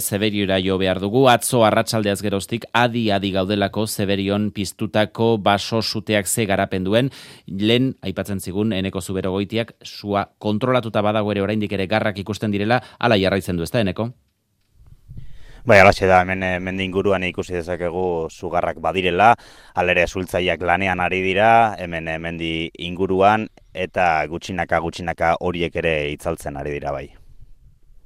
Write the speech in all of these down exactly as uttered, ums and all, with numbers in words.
Zeberiora jo behar dugu, atzo arratsaldeaz geroztik adi-adi gaudelako Zeberion piztutako baso suteak ze garapen duen, lehen aipatzen zigun Eneko Zuberogoitiak sua kontrolatuta badago ere oraindik ere garrak ikusten direla, hala jarraitzen du, ezta Eneko? Bai, alaxe da, hemen mende inguruan ikusi dezakegu sugarrak badirela, alere zultzaileak lanean ari dira, hemen mendi inguruan, eta gutxinaka gutxinaka horiek ere itzaltzen ari dira bai.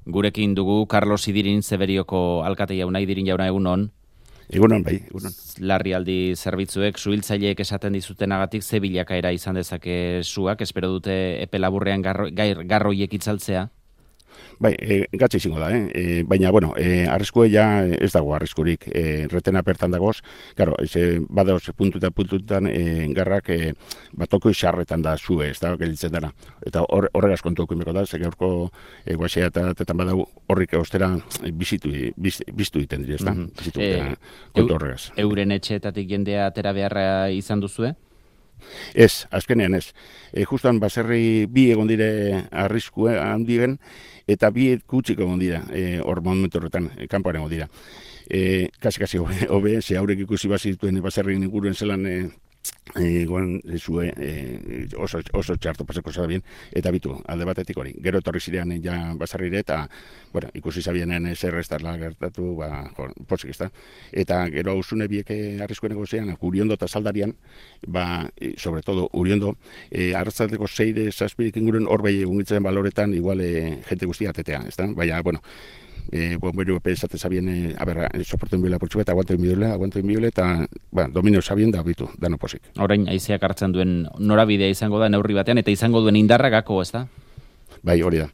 Gurekin dugu Carlos Idirin, Zeberioko alkate jauna, Idirin jauna egunon. Egunon, bai, egunon. Larrialdi zerbitzuek, suhiltzaileek esaten dizutenagatik ze bilakaera izan dezake suak, espero dute epe laburrean garro, gair, garroiek itzaltzea? Bai, e, gatza izango da, eh? E, baina, bueno, e, arriskue ja ez dago arriskurik, e, retena pertan dagoz, claro, e, badaoz puntuta puntutan e, garrak e, batoko xarretan da zue, ez da, gelitzen dara. Eta hor, horregaz kontuko imeko da, ze gaurko e, guaxea eta tetan badau horrik ostera bizitu, biz, biztu iten dira, ez da, Mm-hmm. bizitu e, kontu horregaz. Euren etxeetatik jendea atera beharra izan duzue? Ez, azkenean ez. E, justan baserri bi egon dire arriskue handigen, eta bi kutsik egon dira, e, hor momentu horretan, e, kanpoan egon dira. E, kasi-kasi hobe, ze haurek ikusi bazituen baserri inguruen zelan e, e, goan zue e, oso, oso txarto pasako zabien, eta bitu, alde batetik hori. Gero etorri zirean ja baserrire, eta bueno, ikusi zabienen zer ez darla gertatu, ba, jo, posik ez da. Eta gero ausune bieke arriskuen egozean, Uriondo eta Zaldarian, ba, e, sobre todo Uriondo, e, arratzateko zeide zazpirik inguruen hor bai egungitzen baloretan, igual e, jente guztia atetea, ez da? Baina, bueno, Eh, bomberu epe esate zabien, eh, a ber, soporten bila portxu eta aguanto inbiole, aguanto inbiole, eta ba, dominio zabien da bitu, dano posik. Orain, haizeak hartzen duen norabidea izango da neurri batean, eta izango duen indarra gako, ez da? Bai, hori da.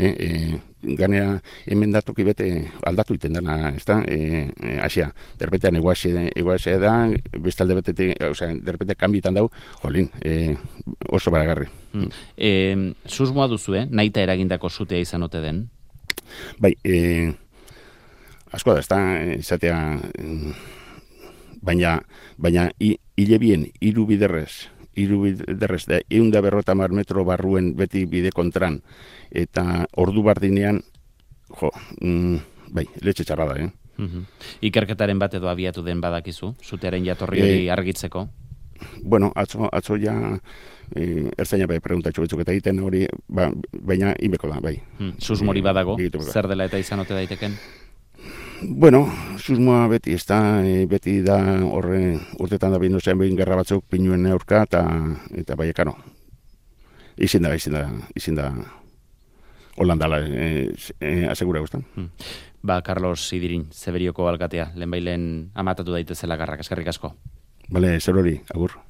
Eh, eh, ganea hemen datuki bete aldatu iten dana, ez da? Eh, eh, Asia, derrepetean eguaxe da, bestalde betete, osea, derrepete kanbitan dau, jolin, eh, oso baragarri. Hmm. Eh, susmoa duzu, eh? Naita eragindako zutea izan ote den? Bai, e, asko da, ez da, izatea, baina, baina hile bien, hiru biderrez, hiru biderrez, da, egun da berrota mar metro barruen beti bide kontran, eta ordu bardinean, jo, mm, bai, letxe txarra da, eh? Uh-huh. Ikerketaren bat edo abiatu den badakizu, zutearen jatorri hori e, argitzeko? Bueno, atzo, atzo ja eh, ertzaina bai preguntatxo betzuk eta egiten hori, ba, baina inbeko da, bai. Hmm, susmori badago, e, zer dela eta izan ote daiteken? Bueno, susmoa beti, ez da, e, beti da horre urtetan da bindu zen behin gerra batzuk pinuen aurka, eta, eta bai ekano. Izin da, izin da, izin da, holandala, e, e, asegura guztan. Hmm. Ba, Carlos Idirin, Zeberioko alkatea, lehenbailen amatatu daitezela garrak, eskerrik asko. Bale, zer hori, agur.